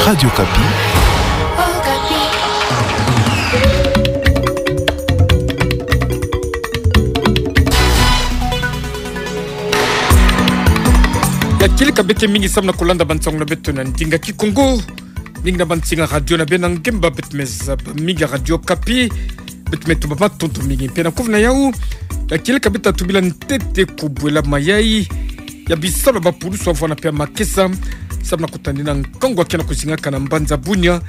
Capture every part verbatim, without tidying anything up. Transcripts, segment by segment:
Radio Okapi. Ya kieleka beke mingi samu na kolanda bansango na beto na ndinga Kikongo. Mingi na bansinga radio na bena ngemba beto meza ba mingi ya Radio Okapi. Beto metuba matondo mingi. Mpe na kuvuna yau, ya kieleka beto tubila ntete kubwela mayai ya bisalu ya bapulusu wavwanda mpe ya makesa samu na kutanina nkangu ya kena kuzingaka na mbanza Bunia,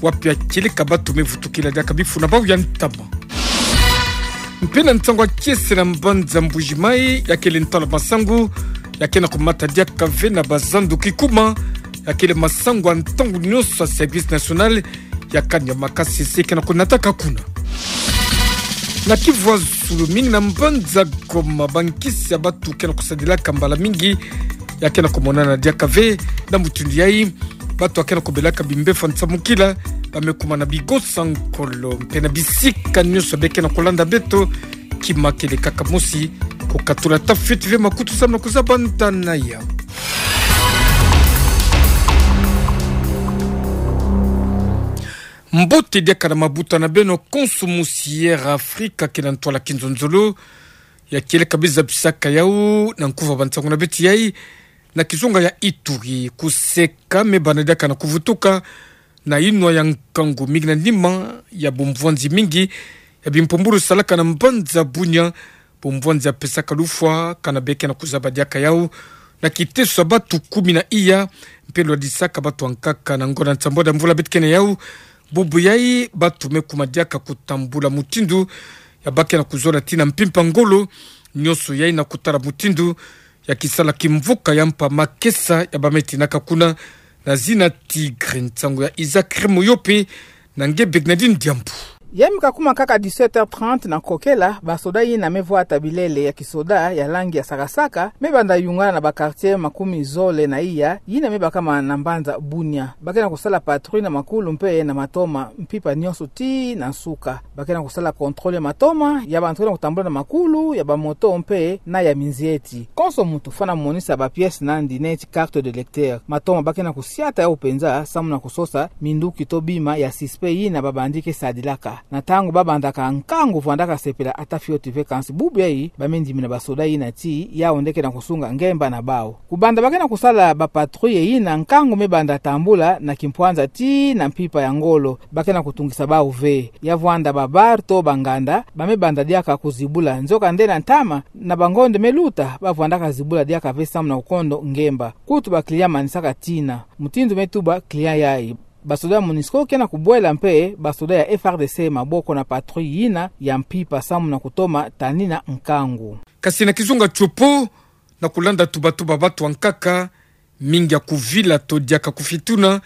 wapi ya kieleka bato mevutukila diaka bifu na bau ya ntama. Mpe na nsangu ya kiese na mbanza Mbuji-Mayi, ya kele ntalo masangu ya kena kumata diaka ve na bazandu kikuma, ya kele masangu ya ntangu nyonso ya Service National ya kani ya makasese kena kunataka kuna. Na Kivu ya zulu, mingi na mbanza Goma, bankisi ya bato kena kusadilaka mbala mingi ya kena kumonana diaka ve. Na mutindu yai, bato ya kena kubelaka bimbevo nsamukila, ba me kuma na bigosa nkolo, mpe na bisika nyonso be kena kulanda beto, kima kele kaka mosi, kukatula ata fioti ve makutu samu na kuzaba ntana yau. Mbote diaka na mabuta na beno konso musi Air Afrika kina ntwala kinzonzolo. Ya kieleka biza bisaka yau na nkuva bansango na beto yai, na kizunga ya Ituri, kuseka me banda diaka na kuvutuka na inwa ya nkangu mingi na nima ya bumvwanzi mingi ya bimpumbulu salaka na mbanza Bunia, bumvwanzi ya pesaka lufwa kana be kena kuzaba diaka yau na kiteso ya bato kumi na iya, mpe lwadisaka bato ya nkaka na ngonda nsambwadi ya mvula beto kena yau. Bubu yai, bato me kuma diaka kutambula mutindu ya ba kena kuzola tii na mpimpa ngolo nyonso yai na kutala mutindu ya kisala kimvuka ya mpa makesa ya ba me tinaka kuna na zina Tigre. Nsangu ya Isaac Remoyope na nge Bernardine Diambu. Ya me kakuma kaka dix-sept heures trente na kokela, basoda yina me vwata bilele ya kisoda ya langi ya sakasaka me banda yungana na ba quartier makumi zole na iya yina me bakama na mbanza Bunia. Ba kena kusala patrouille na makulu mpe na matoma, mpimpa nyonso tii na nsuka. Ba kena kusala contrôle ya matoma ya bantu kena kutambula na makulu, ya bamoto mpe na ya minzieti. Konso muntu fwana monisa ba pièces na yandi neti carte d'électeur. Matoma ba kena kusiata yau penza samu na kusosa minduki to bima ya suspect yina ba bandits ke sadilaka. Na ntangu ba bandaka nkangu vwandaka sepela ata fioti ve, kansi bubu yai ba me ndimina basoda yina tii yau nde kena kusunga ngemba na bau. Kubanda ba kena kusala ba patrouille yina, nkangu me banda tambula na kimpwanza tii na mpimpa ya ngolo. Ba kena kutungisa bau ve. Ya vwanda ba bar to ba nganda, ba me banda diaka kuzibula. Nzoka nde na ntama, na bangonde me luta, ba vwandaka zibula diaka ve samu na kukondo ngemba. Kutu ba client manisaka tina. Mutindu me tuba client yai, basoda ya Monusco kena kubwela mpe basoda ya F R D C maboko na patrouille yina ya mpimpa samu na kutoma tanina nkangu. Kasi na kizunga Tshopo, na kulanda tubatuba ya bato ya nkaka, mingi ya kuvila to diaka kufituna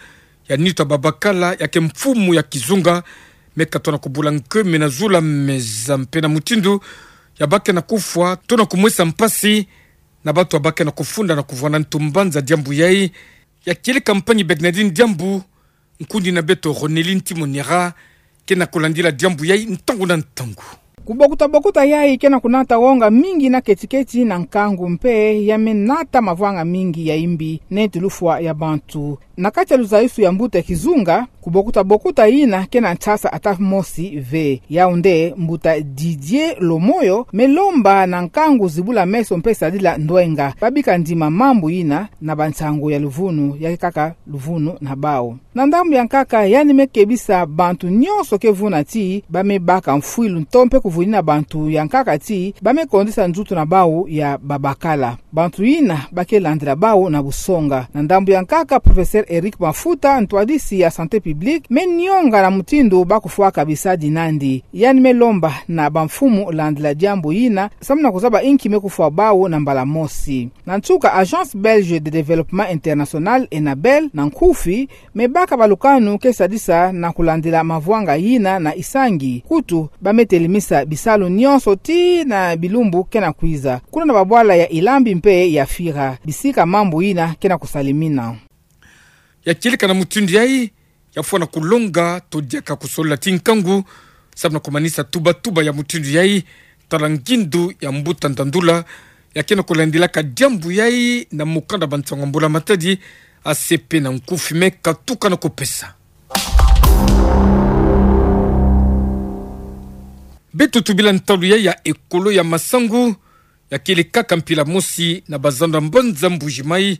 ya nitu ya babakala ya ke mfumu ya kizunga me katona kubula nkewe me na zula meza, mpe na mutindu ya ba kena kufwa to na kumwesa mpasi na bato ya ba kena kufunda na kuvwanda ntu mbanza Diambu yai. Ya kieleka mpangi Bernardine Diambu, nkundi na beto Ronelin Timonera kena kulandila Diambu yai ntangu na ntangu. Kubokuta-bokuta yai kena kunata wonga mingi na keti-keti na nkangu mpe ya me nata mavwanga mingi ya imbi neti lufwa ya bantu. Na kati ya luzayusu ya mbuta ya kizunga, kubokuta-bokuta yina kena nsasa ata mosi ve. Yau nde mbuta Didier Lomoyo me lomba na nkangu zibula meso mpe sadila ndwenga. Ba bika ndima mambu yina na bansangu ya luvunu, ya ke kaka luvunu na bau. Na ndambu ya nkaka, yandi me kebisa bantu nyonso ke vuna ti ba me baka mfwilu to mpe kuvunina bantu ya nkaka ti ba me kondisa nzutu na bau ya babakala. Bantu yina ba ke landila bau na busonga. Na ndambu ya nkaka, professeur Eric Mafuta, ntwadisi ya santé publique, me nionga na mutindu ba kufwaka bisadi nandi. Yandi me lomba na bamfumu landila diambu yina, samu na kuzaba inki me kufwa bau na mbala mosi. Na nsuka, Agence Belge de Développement International, Enabel, na nkufi, me baka balukanu ke sadisa na kulandila mavwanga yina na isangi. Kutu, ba me telemisa bisalu nyonso ti na bilumbu kena kwiza, kuna na babwala ya Ilambi mpe ya Fira, bisika mambu yina kena kusalemina. Ya kieleka na mutindu yai, ya fwana kulonga to diaka kusolila ti nkangu, samu na kumanisa tubatuba ya mutindu yai, tala ngindu ya mbuta Ndandula, ya kena kulandilaka diambu yai na mukanda Bansango ya Mbula Matadi, A C P na nkufi me katuka na kupesa. Beto tubila ntalu ya, ya ekolo ya Masangu, ya kele kaka mpila mosi na bazando ya mbanza Mbuji-Mayi,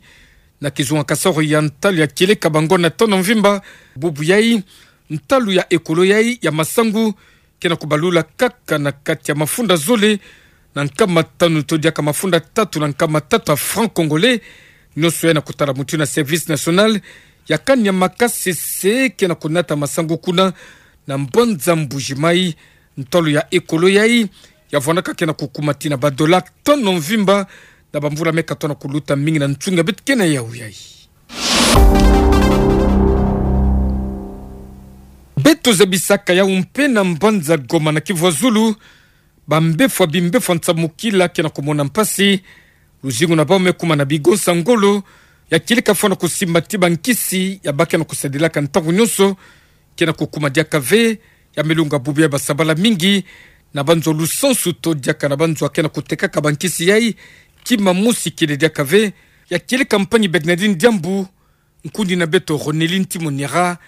na kizunga kasoro ya ntalu ya kieleka bango na tono mvimba. Bubu yayi, ntalu ya ekolo yayi ya Masangu, ke na kubalula kaka na kati ya mafunda zole na nkama tanu to diaka mafunda tatu na nkama tatu ya francs congolais. Nionso ya na kutala mutu na Service National ya kani ya makasese ke na kunata masangu kuna na mbanza Mbuji-Mayi. Ntalu ya ekolo yayi ya vwanaka ke na kukuma tina ba dollars tono mvimba na bamvula me katono kuluta mingi na nsunga beto ke na yawu yayi. Beto zabisaka yawu mpe na mbanza Goma na Kivu ya Zulu, bambefwa, bimbefwa nsamukila ke na kumona mpasi. Luzingu na bawu me kuma na bigonsa ngolo, ya kieleka fwana kusimba ti bankisi ya ba ke na kusadilaka ntangu nionso, ke na kukuma diaka ve. Ya me lunga bubu ya basabala mingi na banzo lusansu to diaka na banzo ya ke na kutekaka bankisi yayi, kima mosi kele diaka ve. Ya kieleka mpangi Bernardine Diambu, nkundi na beto Ronelin Timonera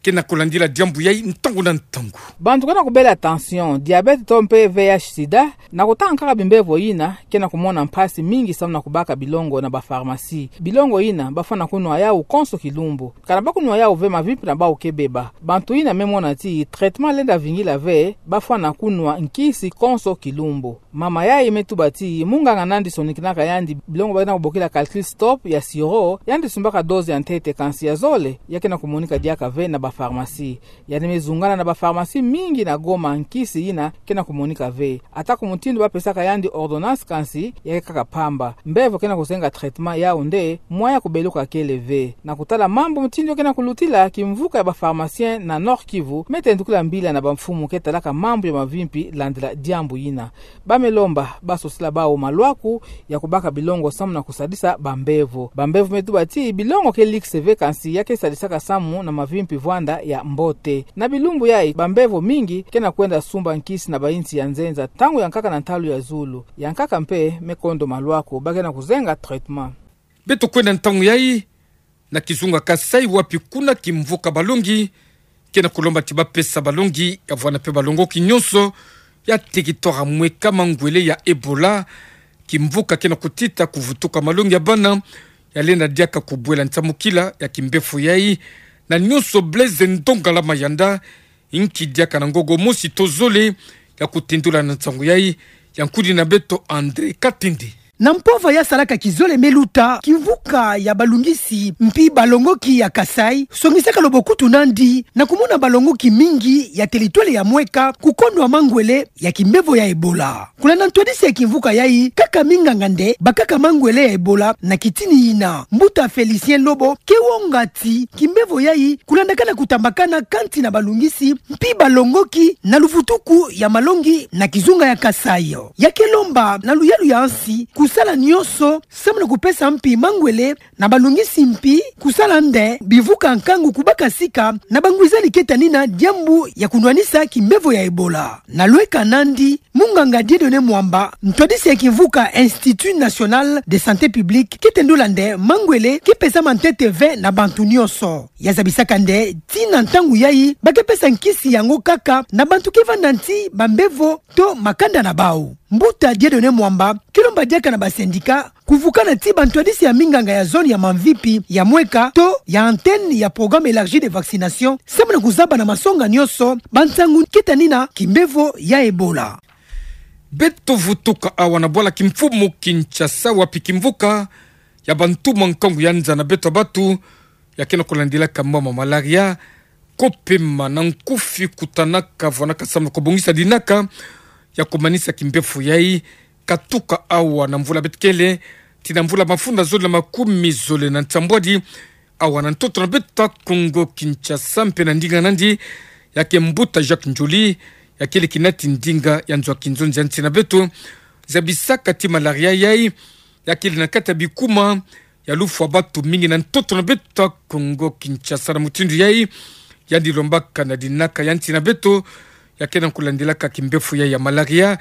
ke na kulandila diambu yayi ntangu na ntangu. Bantu ke na kubela tension, diabète to mpe V I H sida, na kutanga kaka bimbevo yina, ke na kumona mpasi mingi samu na kubaka bilongo na ba pharmacie. Bilongo yina ba fwana kunwa yawu konso kilumbu. Kana ba kunwa yawu ve, mavimpi na bawu ke beba. Bantu yina me mona ti traitement lenda vingila ve, ba fwana kunwa nkisi konso kilumbu. Mama yayi me tuba ti munganga nandi sonikinaka yandi bilongo ba ke na kubokila calcul stop ya sirop, yandi sumbaka dose ya ntete, kansi ya zole ya ke na kumonika diaka ve na ba pharmacie. Yandi me zungana na ba pharmacie mingi na Goma, nkisi yina ke na kumonika ve. Ata ku mutindu ba pesaka yandi ordonnance, kansi ya ke kaka pamba. Mbevo ke na kuzenga traitement yawu nde, moyen ya kubeluka kele ve. Na kutala mambu mutindu ke na kulutila, kimvuka ya ba pharmaciens na Nord-Kivu me tendukila mbila na bamfumu ke talaka mambu ya mavimpi landila diambu yina. Ba me lomba ba sosila bawu malwaku ya kubaka bilongo samu na kusadisa bambevo. Bambevo me tuba ti bilongo ke likse ve, kansi ya ke sadisaka samu na mavimpi vwanda ya mbote. Na bilumbu yayi, bambevo mingi ke na kwenda sumba nkisi na bayinsi ya nzenza, ntangu ya nkaka na ntalu ya zulu. Ya nkaka mpe me kondo malwaku, ba ke na kuzenga traitement. Beto kwenda ntangu yayi na kizunga Kasaï, wapi kuna kimvuka balongi ke na kulomba ti ba pesa balongi ya vwana mpe balongoki nionso ya territoire ya mweka mangwele ya Ebola. Kimvuka ke na kutita kuvutuka malongi ya bana ya lenda diaka kubwela nsamukila ya kimbefo yayi. Na nionso, Blaise Ndongala Mayanda, inki diaka na ngogo mosi to zole ya kutendula na nsangu yayi, ya nkundi na beto André Katende. Na mpova ya salaka kizole me luta, kimvuka ya balungisi mpi balongoki ya Kasaï songisaka lobokutu nandi na kumona balongoki mingi ya territoire ya mweka kukondwa mangwele ya kimbevo ya Ebola. Kulanda ntwadisi ya kimvuka yayi, kaka minganga nde bakaka mangwele ya Ebola na kitini yina. Mbuta Félicien Lobo ke wonga ti kimbevo yayi kulandakana kutambakana kati na balungisi mpi balongoki na luvutuku ya malongi na kizunga ya Kasaï. Ya ke lomba na luyalu ya nsi kusala nionso samu na kupesa mpi mangwele na balungisi mpi kusala nde bivuka nkangu kubaka sika na bangwizani ke tanina diambu ya kunwanisa kimbevo ya Ebola. Na lweka nandi, munganga Dieudonné Mwamba, ntwadisi ya kimvuka Institut National de Santé Publique, ke tendula nde mangwele ke pesama ntete ve na bantu nionso. Ya zabisaka nde ti na ntangu yayi ba ke pesa nkisi yango kaka na bantu ke vanda nti bambevo to makanda na bawu. Mbuta Dieudonné Mwamba ke lomba diaka na ba syndicat kuvukana ti bantwadisi ya minganga ya zone ya Mamvipi, ya mweka to ya antenne ya programme élargi de vaccination samu na kuzaba na masonga nionso bansangu ke tanina kimbevo ya Ebola. Beto vutuka awa na bwala kimfumu Kinshasa, wapi kimvuka ya bantu mwa nkangu ya nza na beto ya batu ya ke na kulandilaka mama malaria, kopema na nkufi kutanaka, vwanaka samu na kubongisa dinaka ya kumanisa kimbefo yayi, katuka awa na mvula beto kele ti na mvula mafunda zole na makumi zole na nsambwadi. Awa na ntoto na beto ya Kongo Kinshasa mpe na ndinga nandi, ya ke mbuta Jacques Ndjoli, ya kele kinati ndinga ya nzo ya kinzonzi ya nsi na beto, zabisaka ti malaria yayi ya kele na kati ya bikuma ya lufwa batu mingi na ntoto na beto ya Kongo Kinshasa. Na mutindu yayi, yandi lombaka na dinaka ya nsi na beto ya ke na kulandilaka kimbefo yayi ya malaria,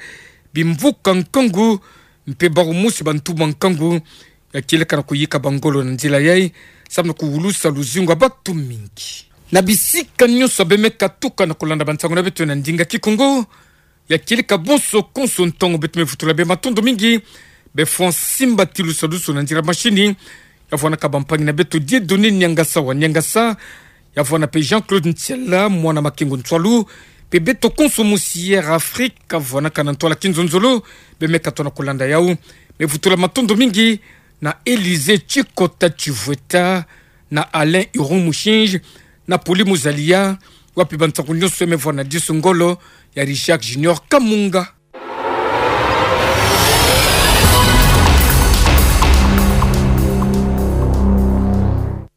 bimvuka nkangu mpe bawu mosi bantu mwa nkangu ya kieleka na kuyika bangolo na nzila yayi, sambana kuwulusa luzingu ya batu mingi. Na bisika nyonso bemeka tuka na kulanda bansangu na beto na ndinga Kikongo, ya kieleka bonso konso ntongo, beto mevutula bie matondo mingi. Befwani simba ti lusadusu na nzila mashini, ya vwanaka bampangi na beto Dieudonné Niangasa wa Niangasa, ya vwana mpe Jean-Claude Ntiala, mwana Makengo Ntwalu, mpe beto konso musi Air Afrique, ya vwanaka na ntwala kinzonzolo, bemeka tona kulanda yau. Mevutula matondo mingi na Élysée Tshikota Tshivweta, na Alain Iron Mushinji, na Poli Muzalia, wapi bansangu nyonso mevwana disu ngolo ya Richard Junior Kamunga.